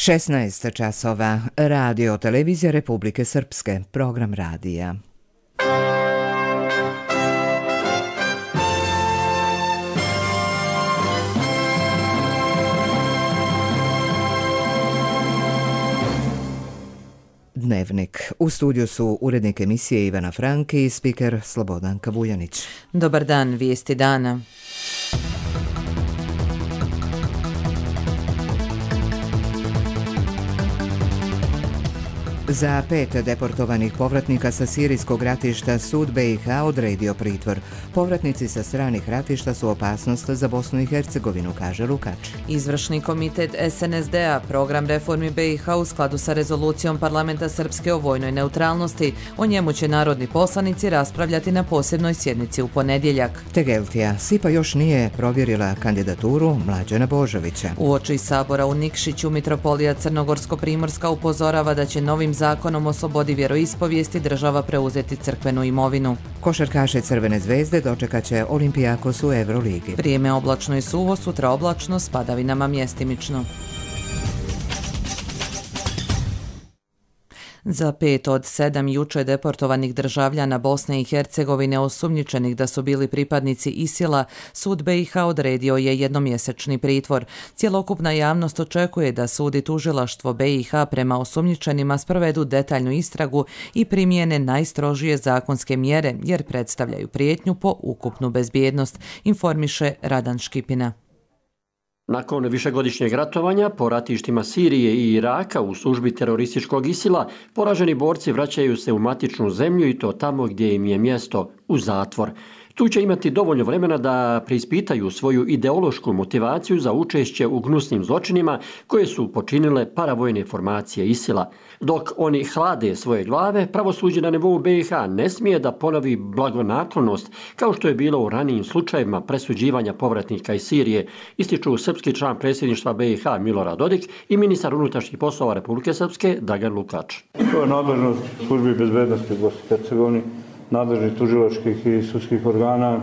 16 časova. Radio televizija Republike Srpske. Program radija. Dnevnik. U studiju su urednik emisije Ivana Franki i spiker Slobodanka Vuljanić. Dobar dan, vijesti dana. Za 5 deportovanih povratnika sa sirijskog ratišta sud BiH odredio pritvor. Povratnici sa stranih ratišta su opasnost za Bosnu i Hercegovinu, kaže Lukač. Izvršni komitet SNSD-a, program reformi BiH u skladu sa rezolucijom Parlamenta Srpske o vojnoj neutralnosti. O njemu će narodni poslanici raspravljati na posebnoj sjednici u ponedjeljak. Tegeltija. SIPA još nije provjerila kandidaturu Mlađana Božovića. Uoči sabora u Nikšiću mitropolija Crnogorsko-Primorska upozorava da će novim zakonom o slobodi vjeroispovijesti država preuzeti crkvenu imovinu. Košarkaše Crvene zvezde dočekat će Olimpijakos u Euroligi. Vrijeme oblačno i suvo, sutra oblačno s padavinama mjestimično. Za 5 od 7 juče deportovanih državljana Bosne i Hercegovine osumnjičenih da su bili pripadnici ISIL-a, sud BiH odredio je jednomjesečni pritvor. Cjelokupna javnost očekuje da sud i tužilaštvo BiH prema osumnjičenima sprovedu detaljnu istragu i primijene najstrožije zakonske mjere jer predstavljaju prijetnju po ukupnu bezbjednost, informiše Radan Škipina. Nakon višegodišnjeg ratovanja po ratištima Sirije i Iraka u službi terorističkog ISIL-a, poraženi borci vraćaju se u matičnu zemlju i to tamo gdje im je mjesto, u zatvor. Tu će imati dovoljno vremena da preispitaju svoju ideološku motivaciju za učešće u gnusnim zločinima koje su počinile paravojne formacije ISIL-a. Dok oni hlade svoje glave, pravosuđe na nivou BiH ne smije da ponovi blagonaklonost kao što je bilo u ranijim slučajevima presuđivanja povratnika iz Sirije, ističu srpski član predsjedništva BiH Milorad Dodik i ministar unutrašnjih poslova Republike Srpske Dragan Lukač. To je nadležnost službi bezbednosti u Bosni i Hercegovini, nadležnih tužilačkih i sudskih organa.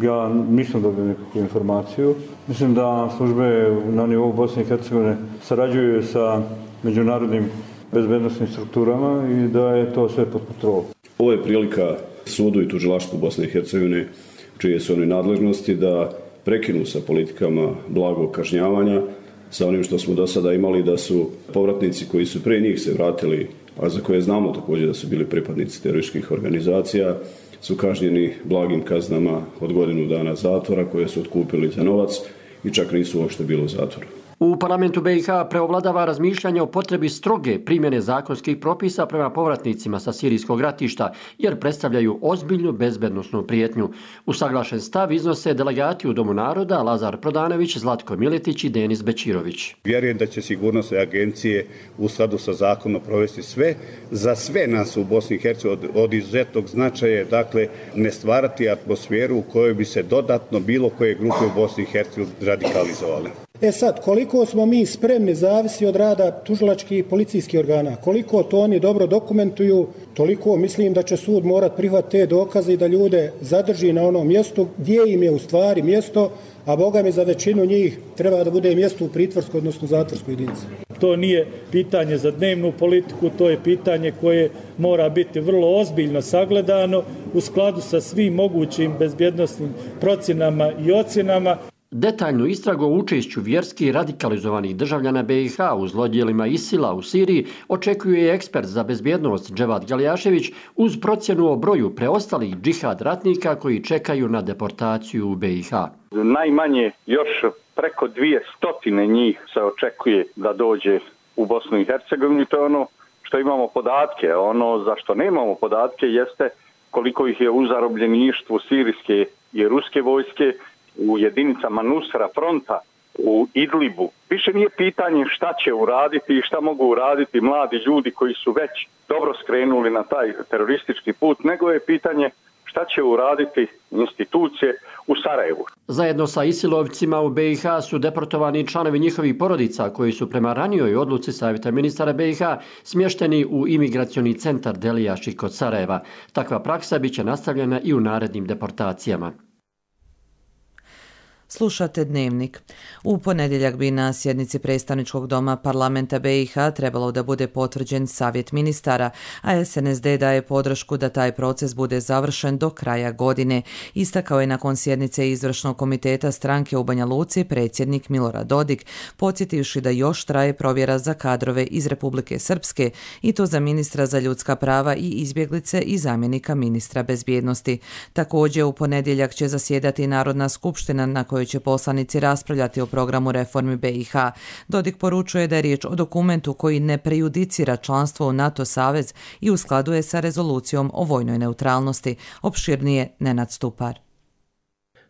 Ja nisam dobio nikakvu informaciju. Mislim da službe na nivou Bosne i Hercegovine sarađuju sa međunarodnim bezbednostnim strukturama i da je to sve pod kontrolom. Ovo je prilika sudu i tužilaštvu Bosne i Hercegovine, čije su oni nadležnosti, da prekinu sa politikama blagog kažnjavanja, sa onim što smo do sada imali, da su povratnici koji su prije njih se vratili, a za koje znamo također da su bili pripadnici terorističkih organizacija, su kažnjeni blagim kaznama od godinu dana zatvora koje su otkupili za novac i čak nisu uopšte bili u zatvoru. U parlamentu BiH preovladava razmišljanje o potrebi stroge primjene zakonskih propisa prema povratnicima sa sirijskog ratišta, jer predstavljaju ozbiljnu bezbednosnu prijetnju. Usaglašen stav iznose delegati u Domu naroda Lazar Prodanović, Zlatko Miletić i Denis Bečirović. Vjerujem da će sigurnosne agencije u skladu sa zakonom provesti sve. Za sve nas u Bosni i Hercegovini od izuzetnog značaja, dakle, ne stvarati atmosferu u kojoj bi se dodatno bilo koje grupe u Bosni i Hercegovini radikalizovale. Sad, koliko smo mi spremni zavisi od rada tužilačkih i policijskih organa. Koliko to oni dobro dokumentuju, toliko mislim da će sud morat prihvatiti te dokaze i da ljude zadrži na onom mjestu gdje im je u stvari mjesto, a Boga mi za većinu njih treba da bude mjesto u pritvorskoj, odnosno zatvorskoj jedinici. To nije pitanje za dnevnu politiku, to je pitanje koje mora biti vrlo ozbiljno sagledano u skladu sa svim mogućim bezbjednosnim procjenama i ocjenama. Detaljnu istragu o učešću vjerski radikalizovanih državljana BiH u zlodjelima ISIL-a u Siriji očekuje ekspert za bezbjednost Dževad Galjašević uz procjenu o broju preostalih džihad ratnika koji čekaju na deportaciju u BiH. Najmanje još preko 200 njih se očekuje da dođe u Bosnu i Hercegovinu. To je ono što imamo podatke. Ono za što nemamo podatke jeste koliko ih je u zarobljeništvu sirijske i ruske vojske, u jedinicama Nusra fronta, u Idlibu. Više nije pitanje šta će uraditi i šta mogu uraditi mladi ljudi koji su već dobro skrenuli na taj teroristički put, nego je pitanje šta će uraditi institucije u Sarajevu. Zajedno sa isilovcima u BiH su deportovani članovi njihovih porodica koji su prema ranijoj odluci Savjeta ministara BiH smješteni u imigracioni centar Delijaši kod Sarajeva. Takva praksa biće nastavljena i u narednim deportacijama. Slušate Dnevnik. U ponedjeljak bi na sjednici predstavničkog doma parlamenta BiH trebalo da bude potvrđen savjet ministara, a SNSD daje podršku da taj proces bude završen do kraja godine. Istakao je nakon sjednice izvršnog komiteta stranke u Banja Luci predsjednik Milorad Dodik, podsjetivši da još traje provjera za kadrove iz Republike Srpske i to za ministra za ljudska prava i izbjeglice i zamjenika ministra bezbjednosti. Također u ponedjeljak će zasjedati Narodna skupština na kojoj će poslanici raspravljati o programu reformi BiH. Dodik poručuje da je riječ o dokumentu koji ne prejudicira članstvo u NATO savez i u skladu je sa rezolucijom o vojnoj neutralnosti. Opširnije Nenad Stupar.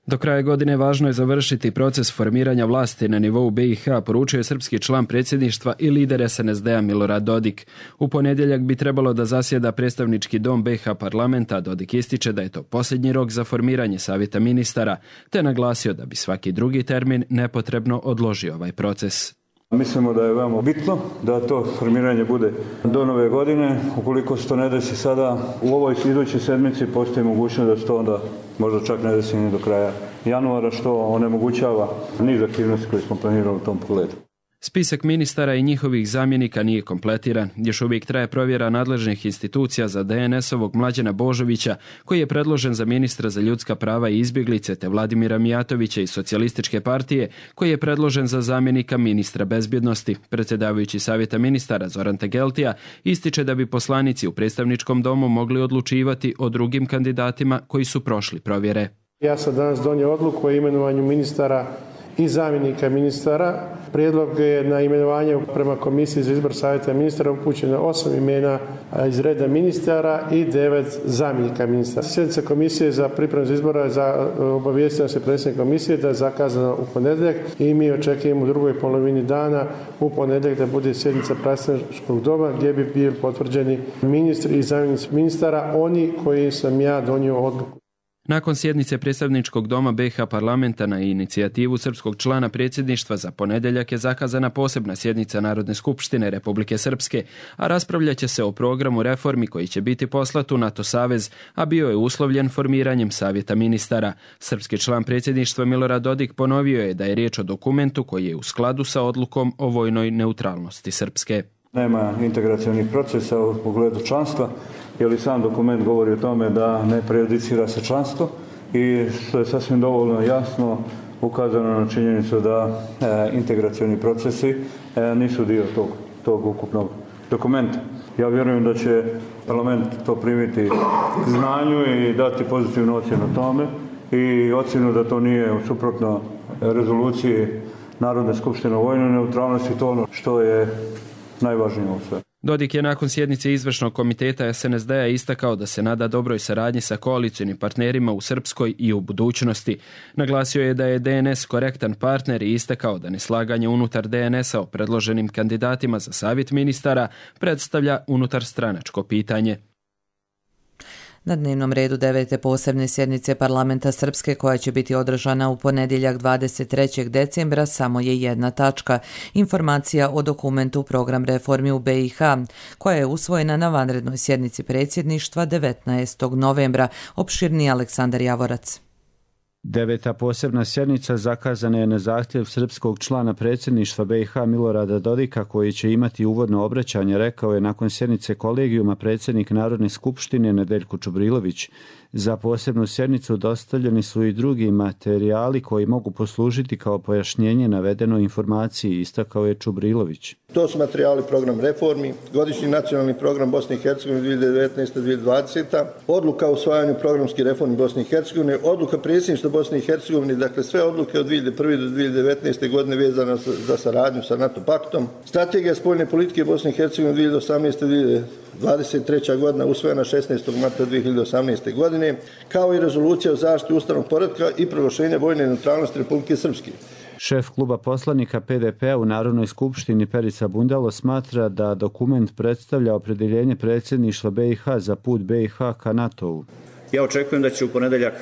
Do kraja godine važno je završiti proces formiranja vlasti na nivou BiH, poručuje srpski član predsjedništva i lider SNSD-a Milorad Dodik. U ponedjeljak bi trebalo da zasjeda predstavnički dom BiH parlamenta. Dodik ističe da je to posljednji rok za formiranje savjeta ministara, te naglasio da bi svaki drugi termin nepotrebno odložio ovaj proces. Mislimo da je veoma bitno da to formiranje bude do nove godine. Ukoliko se to ne desi sada, u ovoj idućoj sedmici postoji mogućnost da se to onda možda čak ne desi ni do kraja januara, što onemogućava niz aktivnosti koje smo planirali u tom pogledu. Spisak ministara i njihovih zamjenika nije kompletiran. Još uvijek traje provjera nadležnih institucija za DNS-ovog Mlađana Božovića, koji je predložen za ministra za ljudska prava i izbjeglice, te Vladimira Mijatovića iz Socijalističke partije, koji je predložen za zamjenika ministra bezbjednosti. Predsjedavajući savjeta ministara Zoran Tegeltija ističe da bi poslanici u predstavničkom domu mogli odlučivati o drugim kandidatima koji su prošli provjere. Ja sam danas donio odluku o imenovanju ministara i zamjenika ministara. Prijedlog je na imenovanje prema Komisiji za izbor savjeta ministara upućeno 8 imena iz reda ministara i 9 zamjenika ministara. Sjednica Komisije za pripremu za izbora obavijestila se predsjednik komisije da je zakazana u ponedjeljak i mi očekujemo u drugoj polovini dana u ponedjeljak da bude sjednica predstavničkog doma gdje bi bili potvrđeni ministri i zamjenici ministara, oni koji sam ja donio odluku. Nakon sjednice predstavničkog doma BiH parlamenta na inicijativu srpskog člana predsjedništva za ponedjeljak je zakazana posebna sjednica Narodne skupštine Republike Srpske, a raspravljat će se o programu reformi koji će biti poslat u NATO savez, a bio je uslovljen formiranjem savjeta ministara. Srpski član predsjedništva Milorad Dodik ponovio je da je riječ o dokumentu koji je u skladu sa odlukom o vojnoj neutralnosti Srpske. Nema integracionih procesa u pogledu članstva, jer i sam dokument govori o tome da ne prejudicira se članstvo i što je sasvim dovoljno jasno ukazano na činjenicu da integracioni procesi nisu dio tog ukupnog dokumenta. Ja vjerujem da će parlament to primiti k znanju i dati pozitivnu ocjenu tome i ocjenu da to nije suprotno rezoluciji Narodne skupštine o vojnoj neutralnosti, to ono što je najvažnije u sve. Dodik je nakon sjednice izvršnog komiteta SNSD-a istakao da se nada dobroj saradnji sa koalicijnim partnerima u Srpskoj i u budućnosti. Naglasio je da je DNS korektan partner i istakao da neslaganje unutar DNS-a o predloženim kandidatima za savjet ministara predstavlja unutarstranačko pitanje. Na dnevnom redu 9. posebne sjednice parlamenta Srpske koja će biti održana u ponedjeljak 23. decembra samo je jedna tačka. Informacija o dokumentu program reformi u BiH koja je usvojena na vanrednoj sjednici predsjedništva 19. novembra. Opširni Aleksandar Javorac. 9. posebna sjednica zakazana je na zahtjev srpskog člana predsjedništva BiH Milorada Dodika, koji će imati uvodno obraćanje, rekao je nakon sjednice kolegijuma predsjednik Narodne skupštine Nedeljko Čubrilović. Za posebnu sjednicu dostavljeni su i drugi materijali koji mogu poslužiti kao pojašnjenje navedenoj informaciji, istakao je Čubrilović. To su materijali program reformi, godišnji nacionalni program Bosne i Hercegovine 2019-2020, odluka o usvajanju programskih reformi Bosne i Hercegovine, odluka predsjedništva Bosne i Hercegovine, dakle sve odluke od 2001. do 2019. godine vezane za saradnju sa NATO paktom, strategija spoljne politike Bosne i Hercegovine 2018-2023. godina usvojena 16. marta 2018. godine, kao i rezolucija o zaštiti ustavnog poretka i proglašenja vojne neutralnosti Republike Srpske. Šef kluba poslanika PDP-a u Narodnoj skupštini Perica Bundalo smatra da dokument predstavlja opredjeljenje predsjedništva BiH za put BiH ka NATO-u. Ja očekujem da će u ponedjeljak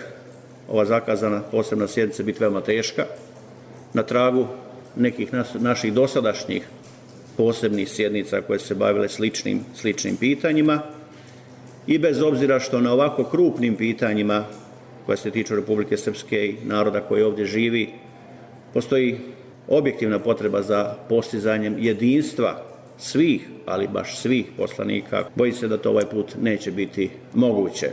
ova zakazana posebna sjednica biti veoma teška, na tragu nekih naših dosadašnjih posebnih sjednica koje se bavile sličnim pitanjima i bez obzira što na ovako krupnim pitanjima koja se tiču Republike Srpske i naroda koji ovdje živi, Postoji objektivna potreba za postizanjem jedinstva svih, ali baš svih poslanika. Bojim se da to ovaj put neće biti moguće.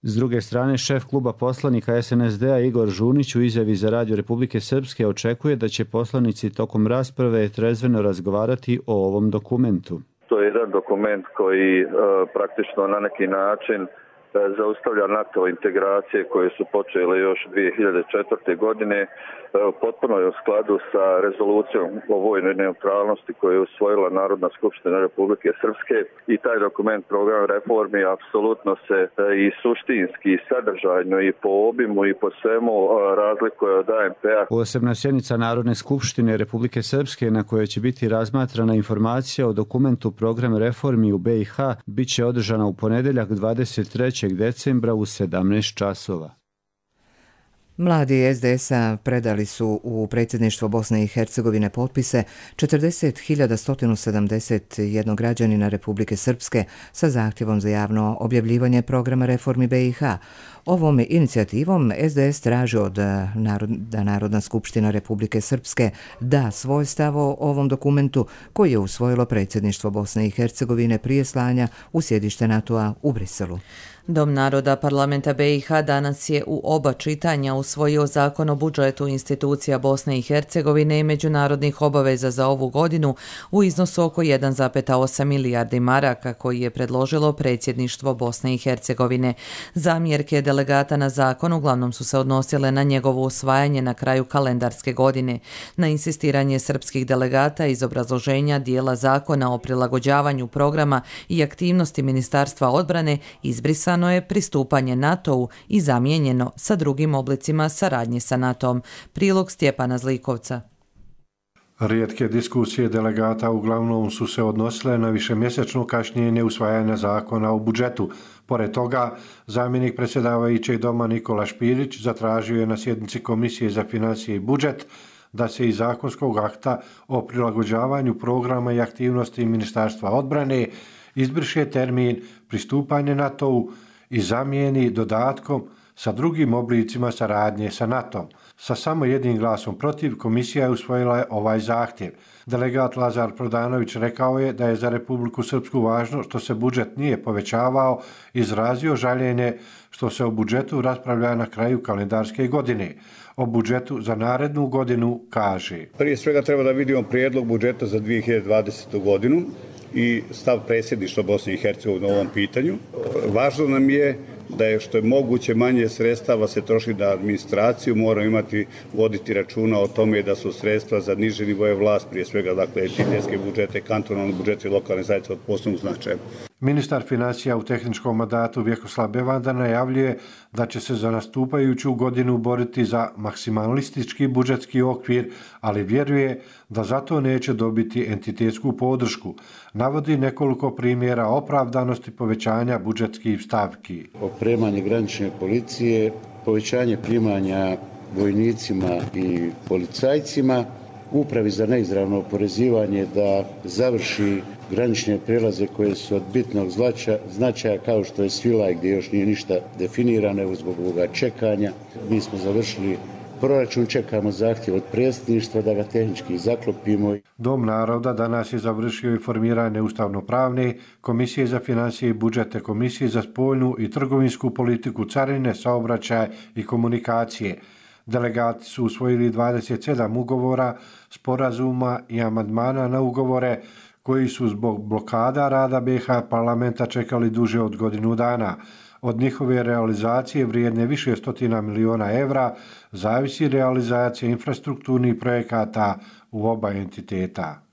S druge strane, šef kluba poslanika SNSD-a Igor Žunić u izjavi za Radio Republike Srpske očekuje da će poslanici tokom rasprave trezveno razgovarati o ovom dokumentu. To je jedan dokument koji praktično na neki način zaustavlja NATO integracije koje su počele još 2004. godine. Potpuno je u skladu sa rezolucijom o vojnoj neutralnosti koju je usvojila Narodna skupština Republike Srpske i taj dokument program reformi apsolutno se i suštinski, i sadržajno, i po obimu i po svemu razlikuje od ANP-a. Posebna sjednica Narodne skupštine Republike Srpske na kojoj će biti razmatrana informacija o dokumentu program reformi u BiH bit će održana u ponedjeljak 23. decembra u 17 časova. Mladi SDS-a predali su u predsjedništvo Bosne i Hercegovine potpise 40.171 građanina Republike Srpske sa zahtjevom za javno objavljivanje programa reformi BiH. Ovom inicijativom SDS traži da Narodna skupština Republike Srpske da svoj stav o ovom dokumentu koji je usvojilo predsjedništvo Bosne i Hercegovine prije slanja u sjedište NATO-a u Briselu. Dom naroda parlamenta BiH danas je u oba čitanja usvojio zakon o budžetu institucija Bosne i Hercegovine i međunarodnih obaveza za ovu godinu u iznosu oko 1,8 milijardi maraka koji je predložilo predsjedništvo Bosne i Hercegovine. Zamjerke delegata na zakon uglavnom su se odnosile na njegovo usvajanje na kraju kalendarske godine. Na insistiranje srpskih delegata iz obrazloženja dijela zakona o prilagođavanju programa i aktivnosti Ministarstva odbrane izbrisano je pristupanje NATO-u i zamijenjeno sa drugim oblicima saradnje sa NATO-om. Prilog Stjepana Zlikovca. Rijetke diskusije delegata uglavnom su se odnosile na višemjesečno kašnjenje usvajanja zakona o budžetu. Pored toga, zamjenik predsjedavajućeg doma Nikola Špirić zatražio je na sjednici Komisije za financije i budžet da se iz zakonskog akta o prilagođavanju programa i aktivnosti Ministarstva odbrane izbriše termin pristupanje NATO-u i zamijeni dodatkom sa drugim oblicima saradnje sa NATO-om. Sa samo jednim glasom protiv, komisija je usvojila ovaj zahtjev. Delegat Lazar Prodanović rekao je da je za Republiku Srpsku važno što se budžet nije povećavao, izrazio žaljenje što se o budžetu raspravlja na kraju kalendarske godine. O budžetu za narednu godinu kaže: Prije svega treba da vidimo prijedlog budžeta za 2020. godinu i stav predsjedništva Bosne i Hercegovine u ovom pitanju. Važno nam je da je što je moguće manje sredstava se troši na administraciju, moramo voditi računa o tome da su sredstva za niže nivoje vlast, prije svega dakle entitetske budžete, kantonalne budžete i lokalne zajednice od posebnog značaja. Ministar financija u tehničkom mandatu Vjekoslav Bevanda najavljuje da će se za nastupajuću godinu boriti za maksimalistički budžetski okvir, ali vjeruje da zato neće dobiti entitetsku podršku. Navodi nekoliko primjera opravdanosti povećanja budžetskih stavki. Opremanje granične policije, povećanje primanja vojnicima i policajcima, Upravi za neizravno oporezivanje da završi granične prijelaze koje su od bitnog značaja kao što je Svilaj gdje još nije ništa definirano zbog ovoga čekanja. Mi smo završili proračun, čekamo zahtjev od predsjedništva da ga tehnički zaklopimo. Dom naroda danas je završio i formiranje ustavno-pravne Komisije za financije i budžete, Komisije za spoljnu i trgovinsku politiku, carine, saobraćaj i komunikacije. Delegati su usvojili 27 ugovora, sporazuma i amandmana na ugovore koji su zbog blokada rada BiH parlamenta čekali duže od godinu dana. Od njihove realizacije vrijedne više stotina miliona evra zavisi realizacija infrastrukturnih projekata u oba entiteta.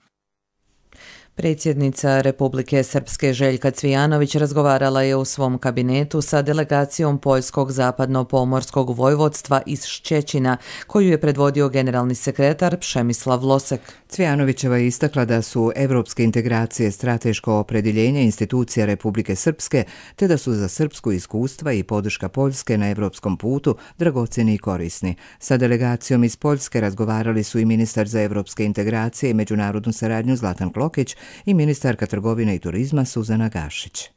Predsjednica Republike Srpske Željka Cvijanović razgovarala je u svom kabinetu sa delegacijom Poljskog zapadno-pomorskog vojvodstva iz Ščećina, koju je predvodio generalni sekretar Přemyslav Losek. Cvijanovićeva je istakla da su evropske integracije strateško opredjeljenje institucija Republike Srpske, te da su za srpsku iskustva i podrška Poljske na evropskom putu dragocjeni i korisni. Sa delegacijom iz Poljske razgovarali su i ministar za evropske integracije i međunarodnu saradnju Zlatan Klokić i ministarka trgovine i turizma Suzana Gašić.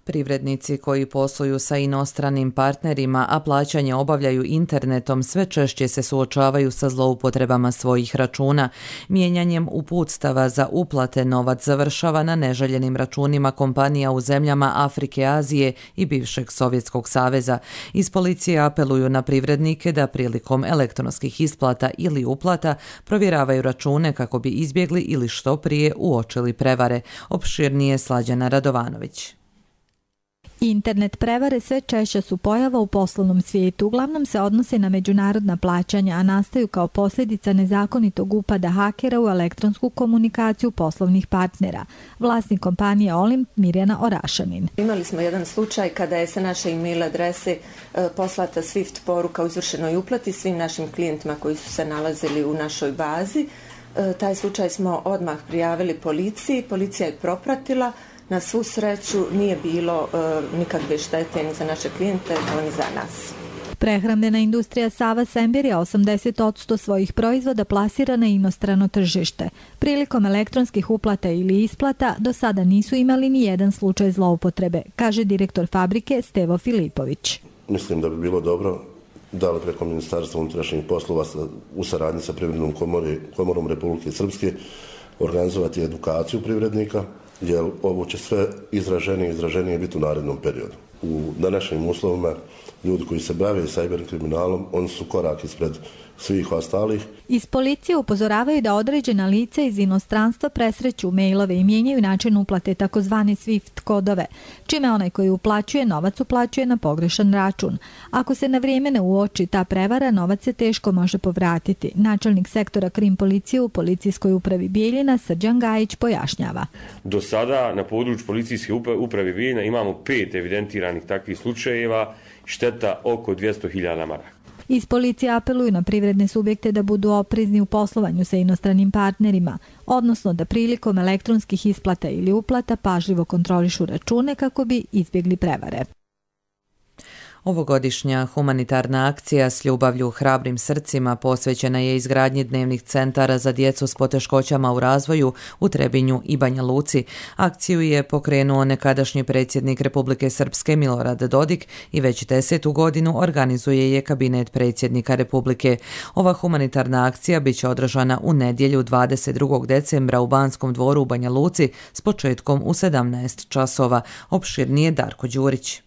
Privrednici koji posluju sa inostranim partnerima, a plaćanje obavljaju internetom, sve češće se suočavaju sa zloupotrebama svojih računa. Mijenjanjem uputstava za uplate novac završava na neželjenim računima kompanija u zemljama Afrike, Azije i bivšeg Sovjetskog saveza. Iz policije apeluju na privrednike da prilikom elektronskih isplata ili uplata provjeravaju račune kako bi izbjegli ili što prije uočili prevare. Opširnije Slađana Radovanović. Internet prevare sve češće su pojava u poslovnom svijetu. Uglavnom se odnose na međunarodna plaćanja, a nastaju kao posljedica nezakonitog upada hakera u elektronsku komunikaciju poslovnih partnera. Vlasnik kompanije Olimp Mirjana Orašanin. Imali smo jedan slučaj kada je sa naše e-mail adrese poslata SWIFT poruka o izvršenoj uplati svim našim klijentima koji su se nalazili u našoj bazi. Taj slučaj smo odmah prijavili policiji, policija je propratila. Na svu sreću nije bilo nikakve štete ni za naše klijente, ni za nas. Prehrambena industrija Sava Sembir je 80% svojih proizvoda plasira na inostrano tržište. Prilikom elektronskih uplata ili isplata do sada nisu imali ni jedan slučaj zloupotrebe, kaže direktor fabrike Stevo Filipović. Mislim da bi bilo dobro da li preko Ministarstva unutrašnjih poslova u saradnji sa Privrednom komorom Republike Srpske organizovati edukaciju privrednika, jer ovo će sve izraženije biti u narednom periodu. U današnjim uslovima ljudi koji se bave cyber kriminalom, oni su korak ispred svih ostalih. Iz policije upozoravaju da određena lica iz inostranstva presreću mailove i mijenjaju način uplate takozvane SWIFT kodove, čime onaj koji uplaćuje novac uplaćuje na pogrešan račun. Ako se na vrijeme ne uoči ta prevara, novac se teško može povratiti. Načelnik sektora krim policije u policijskoj upravi Bijeljina Srđan Gajić pojašnjava. Do sada na području policijske uprave Bijeljina imamo 5 evidentiranih takvih slučajeva, šteta oko 200.000 maraka. Iz policije apeluju na privredne subjekte da budu oprezni u poslovanju sa inostranim partnerima, odnosno da prilikom elektronskih isplata ili uplata pažljivo kontrolišu račune kako bi izbjegli prevare. Ovogodišnja humanitarna akcija s ljubavlju hrabrim srcima posvećena je izgradnji dnevnih centara za djecu s poteškoćama u razvoju u Trebinju i Banja Luci. Akciju je pokrenuo nekadašnji predsjednik Republike Srpske Milorad Dodik i već 10. godinu organizuje je kabinet predsjednika Republike. Ova humanitarna akcija bit će održana u nedjelju 22. decembra u Banskom dvoru u Banja Luci s početkom u 17 časova. Opširnije Darko Đurić.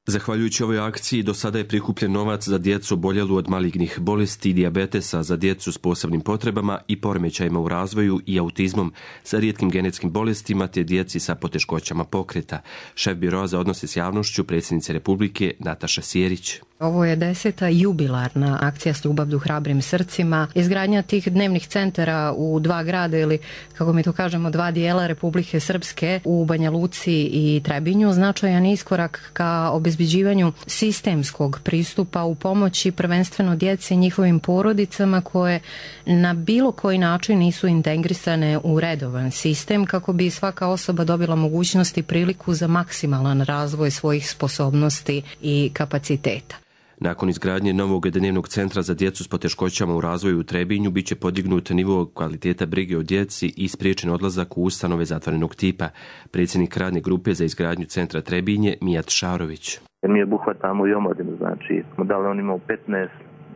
Zahvaljujući ovoj akciji do sada je prikupljen novac za djecu oboljelu od malignih bolesti i dijabetesa, za djecu s posebnim potrebama i poremećajima u razvoju i autizmom, sa rijetkim genetskim bolestima te djeci sa poteškoćama pokreta. Šef biroa za odnose s javnošću predsjednice Republike Nataša Sjerić. Ovo je 10. jubilarna akcija s ljubavlju hrabrim srcima. Izgradnja tih dnevnih centara u 2 grada ili, kako mi to kažemo, 2 dijela Republike Srpske u Banja Luci i Trebinju značajan iskorak ka obezbeđivanju sistemskog pristupa u pomoći prvenstveno djeci i njihovim porodicama koje na bilo koji način nisu integrisane u redovan sistem kako bi svaka osoba dobila mogućnost i priliku za maksimalan razvoj svojih sposobnosti i kapaciteta. Nakon izgradnje novog dnevnog centra za djecu s poteškoćama u razvoju u Trebinju bit će podignut nivo kvaliteta brige o djeci i spriječen odlazak u ustanove zatvorenog tipa. Predsjednik radne grupe za izgradnju centra Trebinje Mijat Šarović. Mi obuhvatamo i omladinu, znači smo dali on imao 15,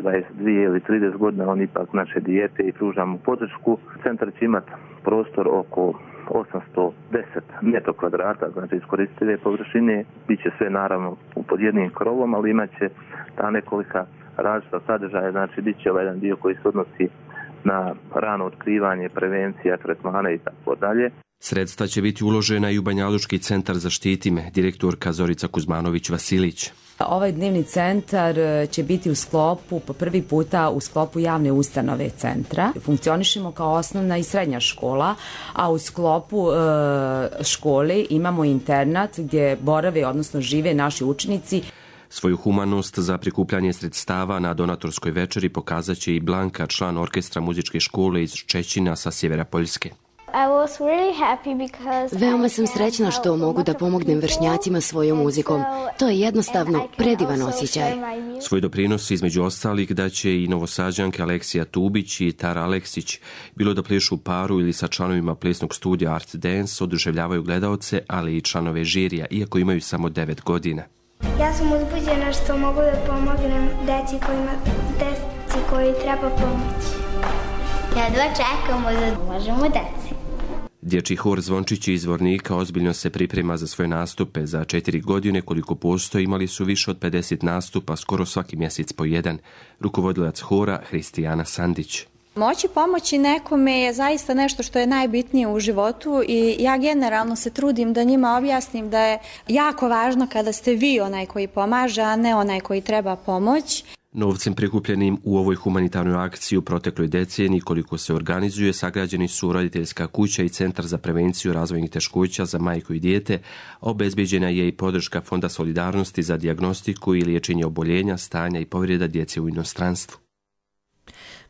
22 ili 30 godina, on ipak naše dijete i pružamo podršku. Centar će imati prostor oko 810 metro kvadrata, znači iskoristive površine, bit će sve naravno pod jednim krovom, ali imat će ta nekolika različita sadržaja, znači bit će ovaj jedan dio koji se odnosi na rano otkrivanje, prevencija, tretmane i tako dalje. Sredstva će biti uložena i u Banjalučki centar Zaštiti me, direktorka Zorica Kuzmanović-Vasilić. Ovaj dnevni centar će biti po prvi puta u sklopu javne ustanove centra. Funkcionišemo kao osnovna i srednja škola, a u sklopu škole imamo internat gdje borave, odnosno žive naši učenici. Svoju humanost za prikupljanje sredstava na donatorskoj večeri pokazat će i Blanka, član orkestra muzičke škole iz Čećina sa sjevera Poljske. Veoma sam srećna što mogu da pomognem vršnjacima svojom muzikom. To je jednostavno predivan osjećaj. Svoj doprinos između ostalih daće i novosađanke Aleksija Tubić i Tara Aleksić. Bilo da plešu u paru ili sa članovima plesnog studija Art Dance, oduševljavaju gledaoce, ali i članove žirija, iako imaju samo 9 godina. Ja sam uzbuđena što mogu da pomognem deci koji treba pomoć. Ja dva čekamo da pomožemo deci. Dječji hor Zvončići iz Zvornika ozbiljno se priprema za svoje nastupe. Za 4 godine koliko postoji imali su više od 50 nastupa, skoro svaki mjesec po jedan. Rukovodilac hora Hristijana Sandić. Moći pomoći nekome je zaista nešto što je najbitnije u životu i ja generalno se trudim da njima objasnim da je jako važno kada ste vi onaj koji pomaže, a ne onaj koji treba pomoć. Novcem prikupljenim u ovoj humanitarnoj akciji u protekloj deceniji koliko se organizuje, sagrađeni su roditeljska kuća i centar za prevenciju razvojnih teškoća za majku i dijete, a obezbeđena je i podrška Fonda solidarnosti za dijagnostiku i liječenje oboljenja, stanja i povreda djece u inostranstvu.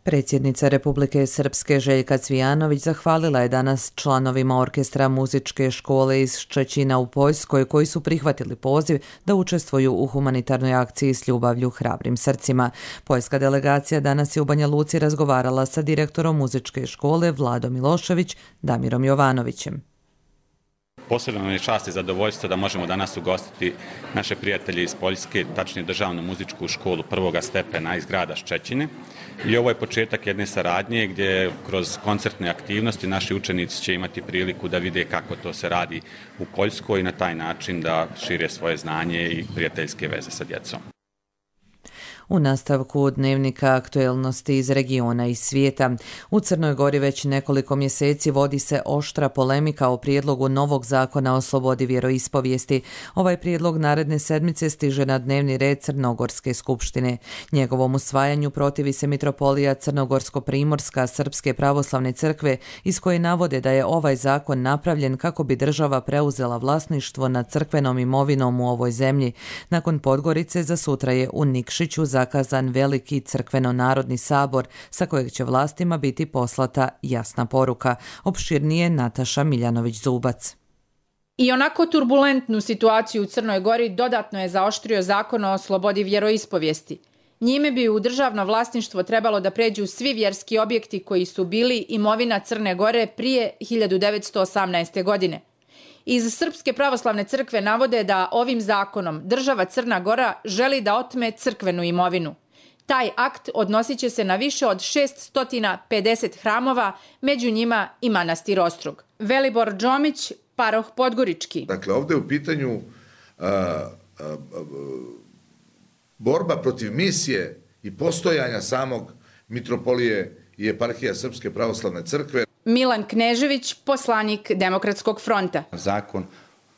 Predsjednica Republike Srpske Željka Cvijanović zahvalila je danas članovima orkestra muzičke škole iz Ščećina u Poljskoj koji su prihvatili poziv da učestvuju u humanitarnoj akciji s ljubavlju hrabrim srcima. Poljska delegacija danas je u Banja Luci razgovarala sa direktorom muzičke škole Vladom Milošević, Damirom Jovanovićem. Posebno nam je čast i zadovoljstvo da možemo danas ugostiti naše prijatelje iz Poljske, tačnije državnu muzičku školu prvoga stepena iz grada Ščećine. I ovo je početak jedne saradnje gdje kroz koncertne aktivnosti naši učenici će imati priliku da vide kako to se radi u Poljskoj i na taj način da šire svoje znanje i prijateljske veze sa djecom. U nastavku dnevnika aktuelnosti iz regiona i svijeta. U Crnoj Gori već nekoliko mjeseci vodi se oštra polemika o prijedlogu novog zakona o slobodi vjeroispovijesti. Ovaj prijedlog naredne sedmice stiže na dnevni red Crnogorske skupštine. Njegovom usvajanju protivi se mitropolija Crnogorsko-primorska Srpske pravoslavne crkve, iz koje navode da je ovaj zakon napravljen kako bi država preuzela vlasništvo nad crkvenom imovinom u ovoj zemlji. Nakon Podgorice za sutra je u Nikšiću zakazan veliki crkveno-narodni sabor sa kojeg će vlastima biti poslata jasna poruka. Opširnije Nataša Miljanović-Zubac. I onako turbulentnu situaciju u Crnoj Gori dodatno je zaoštrio zakon o slobodi vjeroispovijesti. Njime bi u državno vlasništvo trebalo da pređu svi vjerski objekti koji su bili imovina Crne Gore prije 1918. godine. Iz Srpske pravoslavne crkve navode da ovim zakonom država Crna Gora želi da otme crkvenu imovinu. Taj akt odnosit će se na više od 650 hramova, među njima i manastir Ostrog. Velibor Džomić, paroh Podgorički. Dakle, ovdje je u pitanju borba protiv misije i postojanja samog mitropolije i eparhija Srpske pravoslavne crkve. Milan Knežević, poslanik Demokratskog fronta. Zakon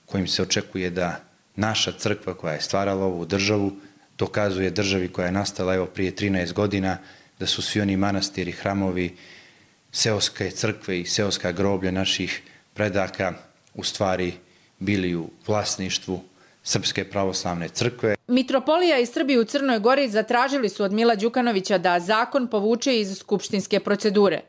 kojim se očekuje da naša crkva koja je stvarala ovu državu dokazuje državi koja je nastala evo prije 13 godina da su svi oni manastiri, hramovi, seoske crkve i seoska groblja naših predaka u stvari bili u vlasništvu Srpske pravoslavne crkve. Mitropolija i Srbi u Crnoj Gori zatražili su od Mila Đukanovića da zakon povuče iz skupštinske procedure.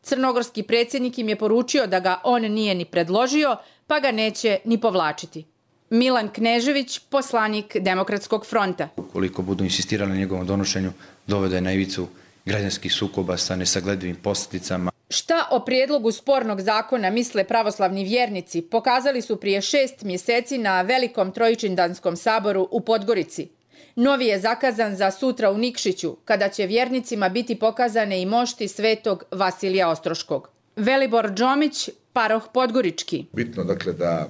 Crnogorski predsjednik im je poručio da ga on nije ni predložio, pa ga neće ni povlačiti. Milan Knežević, poslanik Demokratskog fronta. Ukoliko budu insistirali na njegovom donošenju, dovode na ivicu građanskih sukoba sa nesagledivim posljedicama. Šta o prijedlogu spornog zakona misle pravoslavni vjernici pokazali su prije 6 mjeseci na velikom trojičindanskom saboru u Podgorici. Novi je zakazan za sutra u Nikšiću, kada će vjernicima biti pokazane i mošti svetog Vasilija Ostroškog. Velibor Džomić, paroh Podgorički. Bitno dakle da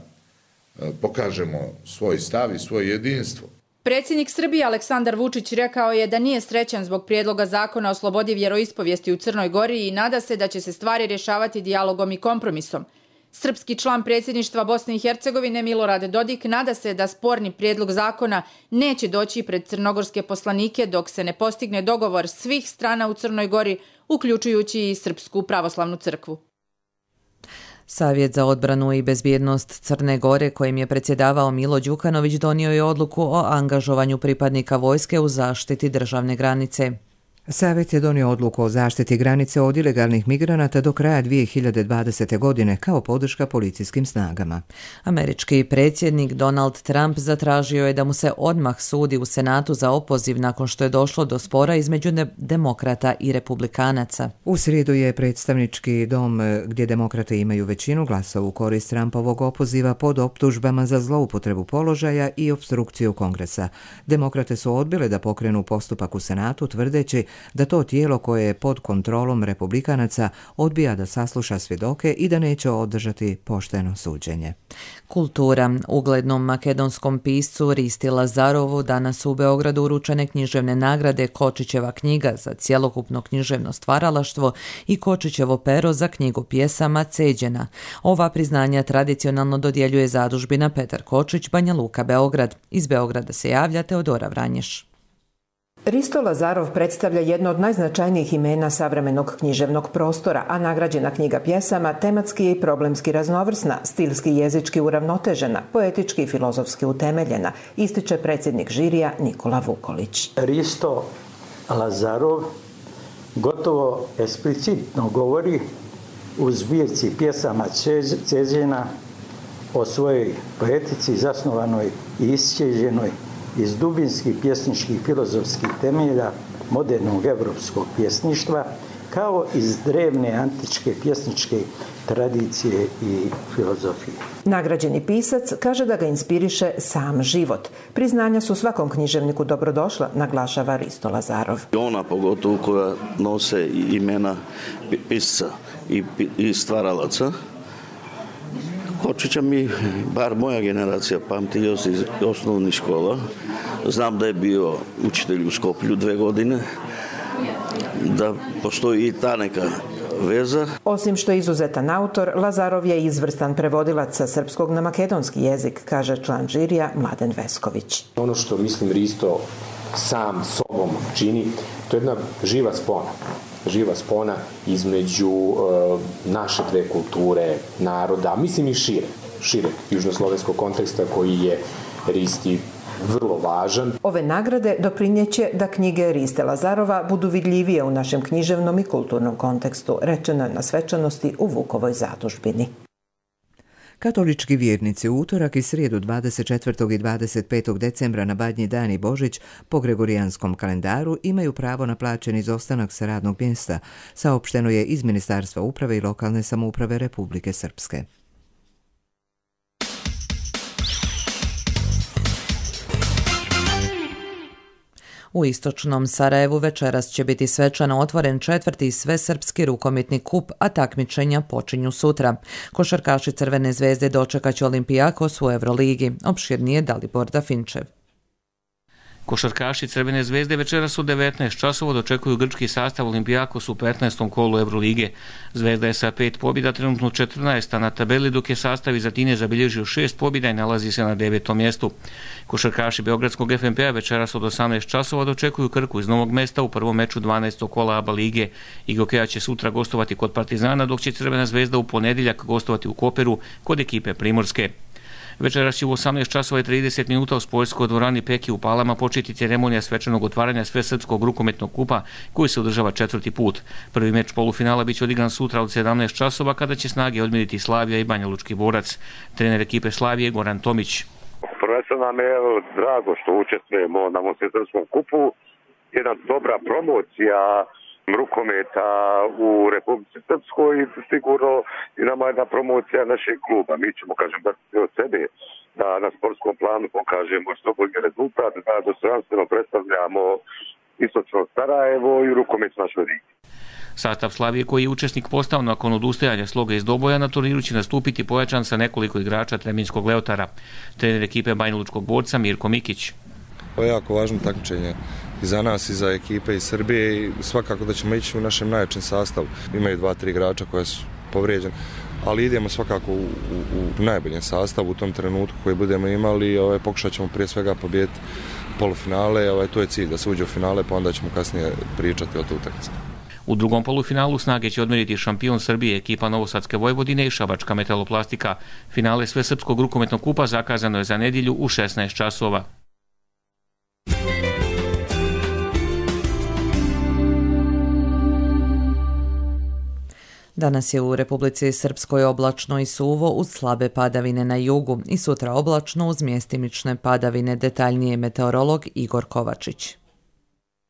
pokažemo svoj stav i svoje jedinstvo. Predsjednik Srbije Aleksandar Vučić rekao je da nije srećan zbog prijedloga zakona o slobodi vjeroispovijesti u Crnoj Gori i nada se da će se stvari rješavati dijalogom i kompromisom. Srpski član predsjedništva Bosne i Hercegovine Milorad Dodik nada se da sporni prijedlog zakona neće doći pred crnogorske poslanike dok se ne postigne dogovor svih strana u Crnoj Gori, uključujući i Srpsku pravoslavnu crkvu. Savjet za odbranu i bezbjednost Crne Gore, kojim je predsjedavao Milo Đukanović, donio je odluku o angažovanju pripadnika vojske u zaštiti državne granice. Savjet je donio odluku o zaštiti granice od ilegalnih migranata do kraja 2020. godine kao podrška policijskim snagama. Američki predsjednik Donald Trump zatražio je da mu se odmah sudi u Senatu za opoziv nakon što je došlo do spora između demokrata i republikanaca. U srijedu je predstavnički dom, gdje demokrate imaju većinu, glasao u korist Trumpovog opoziva pod optužbama za zloupotrebu položaja i opstrukciju Kongresa. Demokrate su odbile da pokrenu postupak u Senatu, tvrdeći da to tijelo koje je pod kontrolom republikanaca odbija da sasluša svjedoke i da neće održati pošteno suđenje. Kultura. Uglednom makedonskom piscu Risti Lazarovu danas u Beogradu uručene književne nagrade Kočićeva knjiga za cjelokupno književno stvaralaštvo i Kočićevo pero za knjigu pjesama Ceđena. Ova priznanja tradicionalno dodjeljuje zadužbina Petar Kočić, Banja Luka, Beograd. Iz Beograda se javlja Teodora Vranješ. Risto Lazarov predstavlja jedno od najznačajnijih imena savremenog književnog prostora, a nagrađena knjiga pjesama tematski je i problemski raznovrsna, stilski i jezički uravnotežena, poetički i filozofski utemeljena, ističe predsjednik žirija Nikola Vukolić. Risto Lazarov gotovo eksplicitno govori u zbirci pjesama Ceđena o svojoj poetici zasnovanoj i isćeđenoj iz dubinskih pjesničkih filozofskih temelja modernog evropskog pjesništva, kao iz drevne antičke pjesničke tradicije i filozofije. Nagrađeni pisac kaže da ga inspiriše sam život. Priznanja su svakom književniku dobrodošla, naglašava Risto Lazarov. Ona pogotovo koja nose imena pisca i stvaralaca, Kočića mi, bar moja generacija, pamti još iz osnovnih škola. Znam da je bio učitelj u Skoplju 2 godine, da postoji i ta neka veza. Osim što je izuzetan autor, Lazarov je izvrstan prevodilac sa srpskog na makedonski jezik, kaže član žirija Mladen Vesković. Ono što mislim Risto sam sobom čini, to je jedna živa spona između naše dve kulture, naroda, mislim i šire južnoslovenskog konteksta koji je Risti vrlo važan. Ove nagrade doprinjeće da knjige Riste Lazarova budu vidljivije u našem književnom i kulturnom kontekstu, rečeno je na svečanosti u Vukovoj zadužbini. Katolički vjernici u utorak i srijedu 24. i 25. decembra na Badnji dan i Božić po gregorijanskom kalendaru imaju pravo na plaćen izostanak sa radnog mjesta, saopšteno je iz Ministarstva uprave i lokalne samouprave Republike Srpske. U istočnom Sarajevu večeras će biti svečano otvoren 4. svesrpski rukometni kup, a takmičenja počinju sutra. Košarkaši Crvene zvezde dočekat će Olimpijakos u Euroligi. Opširnije Dalibor Dafinčev. Košarkaši Crvene zvezde večeras u 19 časova dočekuju grčki sastav Olimpijakos u 15. kolu Eurolige. Zvezda je sa 5 pobjeda trenutno 14. na tabeli, dok je sastav iz Atine zabilježio 6 pobjeda i nalazi se na 9. mjestu. Košarkaši Beogradskog FNP-a večeras od 18 časova dočekuju Krku iz Novog Mesta u prvom meču 12. kola ABA lige. Igokeja će sutra gostovati kod Partizana, dok će Crvena zvezda u ponedjeljak gostovati u Koperu kod ekipe Primorske. Večeras će u 18 časova i 30 minuta u sportskoj dvorani Peki u Palama početi ceremonija svečanog otvaranja svesrpskog rukometnog kupa koji se održava 4. put. Prvi meč polufinala biće odigran sutra od 17 časova kada će snage odmjeriti Slavija i Banja Lučki Borac. Trener ekipe Slavije Goran Tomić. Prvenstveno nam je drago što učestvujemo na svesrpskom kupu. Jedna dobra promocija rukometa u Republici Srpskoj i sigurno i nama jedna promocija našeg kluba. Mi ćemo, dati od sebe da na sportskom planu pokažemo što bolji rezultat, da dostojanstveno predstavljamo istočno Sarajevo i rukomet našoj ligi. Sastav Slavije koji je učesnik postao nakon odustajanja Sloga iz Doboja na turniru će nastupiti pojačan sa nekoliko igrača Treminjskog Leotara. Trener ekipe Banja Lučkog Borca Mirko Mikić. To je jako važno takmičenje i za nas i za ekipe iz Srbije i svakako da ćemo ići u našem najjačem sastavu. Imaju 2-3 igrača koja su povrijeđeni, ali idemo svakako u najboljem sastavu u tom trenutku koji budemo imali. Pokušat ćemo prije svega pobijediti polufinale, to je cilj da se uđe u finale, pa onda ćemo kasnije pričati o toj utakmici. U drugom polufinalu snage će odmjeriti šampion Srbije ekipa Novosadske Vojvodine i Šabačka Metaloplastika. Finale svesrpskog rukometnog kupa zakazano je za nedjelju u 16 časova. Danas je u Republici Srpskoj oblačno i suvo uz slabe padavine na jugu i sutra oblačno uz mjestimične padavine, detaljnije meteorolog Igor Kovačić.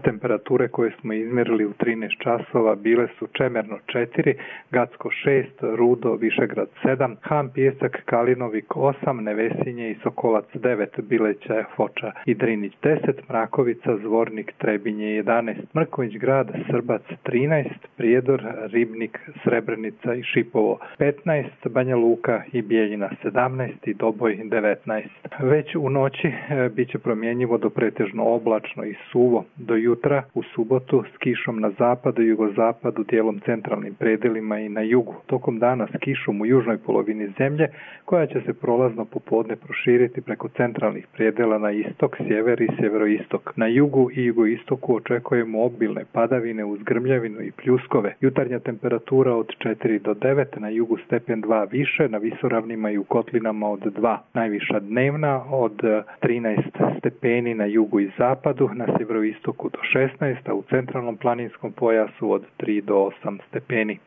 Temperature koje smo izmjerili u 13 časova bile su Čemerno 4, Gacko 6, Rudo, Višegrad 7, Han, Pijesak, Kalinovik 8, Nevesinje i Sokolac 9, Bileća, Foča i Drinić 10, Mrakovica, Zvornik, Trebinje 11, Mrković grad, Srbac 13, Prijedor, Ribnik, Srebrenica i Šipovo 15, Banja Luka i Bijeljina 17 i Doboj 19. Već u noći bit će promjenjivo do pretežno oblačno i suvo do jutra u subotu s kišom na zapadu i jugozapadu, dijelom centralnim predelima i na jugu. Tokom dana s kišom u južnoj polovini zemlje, koja će se prolazno popodne proširiti preko centralnih predela na istok, sjever i sjeveroistok. Na jugu i jugoistoku očekujemo obilne padavine uz grmljavinu i pljuskove. Jutarnja temperatura od 4 do 9, na jugu stepen 2 više, na visoravnima i u kotlinama od 2. Najviša dnevna od 13 stepeni na jugu i zapadu, na sjeveroistoku do 16, a u centralnom planinskom pojasu od 3 do 8 stepeni.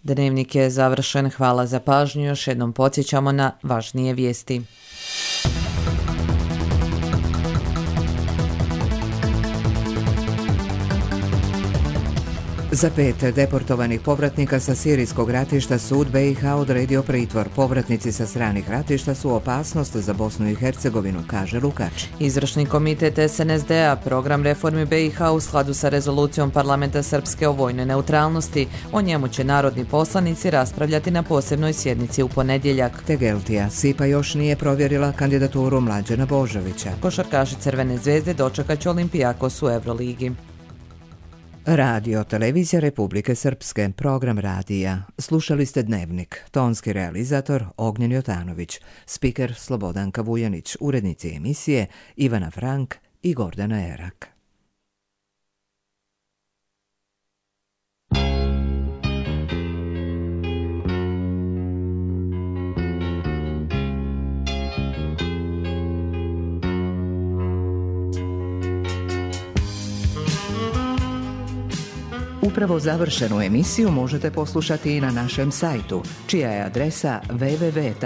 Dnevnik je završen. Hvala za pažnju. Još jednom podsjećamo na važnije vijesti. Za 5 deportovanih povratnika sa sirijskog ratišta sud BiH odredio pritvor. Povratnici sa stranih ratišta su opasnost za Bosnu i Hercegovinu, kaže Lukač. Izvršni komitet SNSD-a program reformi BiH u skladu sa rezolucijom Parlamenta Srpske o vojnoj neutralnosti. O njemu će narodni poslanici raspravljati na posebnoj sjednici u ponedjeljak. Tegeltija Sipa još nije provjerila kandidaturu Mlađana Božovića. Košarkaši Crvene zvezde dočekat će Olimpijakos u Euroligi. Radio Televizija Republike Srpske, program radija. Slušali ste Dnevnik, tonski realizator Ognjen Jotanović, spiker Slobodanka Vujanić, urednici emisije Ivana Frank i Gordana Erak. Upravo završenu emisiju možete poslušati i na našem sajtu, čija je adresa www.rtrs.tv.